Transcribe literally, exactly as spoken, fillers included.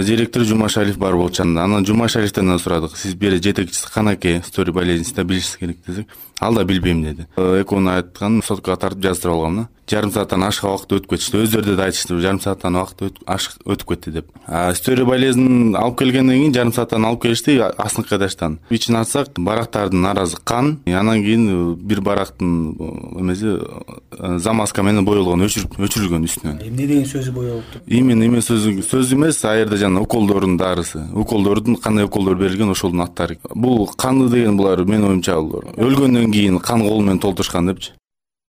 Директор Жумашалиев бар болчу. Анан Жумашалиевден да сурадык. Сиз бери жетекчиси канаке стори болезнида билишиңиз керек десек, ал да билбейм деди. Экөөнү айткан соткага тартып жаздырып алгам да. Жарым сааттан ашык убакыт өтүп кетишти. Өздөрү да айтышты, жарым сааттан убакыт ашык өтүп кетти деп. А стори болезнин алып келгенден кийин жарым сааттан алып келишти астыңкы эдаштан. Ичин ачсак, барактардын аразы кан, анан кийин бир барактын эмеси замазка менен боелгон, өчүрүлгөн үстүнөн. Эмне деген сөзү боелупту? Именно эме сөзү сөз эмес, а жерде жана уколдордун дарысы. Уколдордун кандай уколдор берилген ошолдун аттары. Бул канды деген булар менин оюмча өлгөндөн кийин кан кол менен толтурушкан депчи.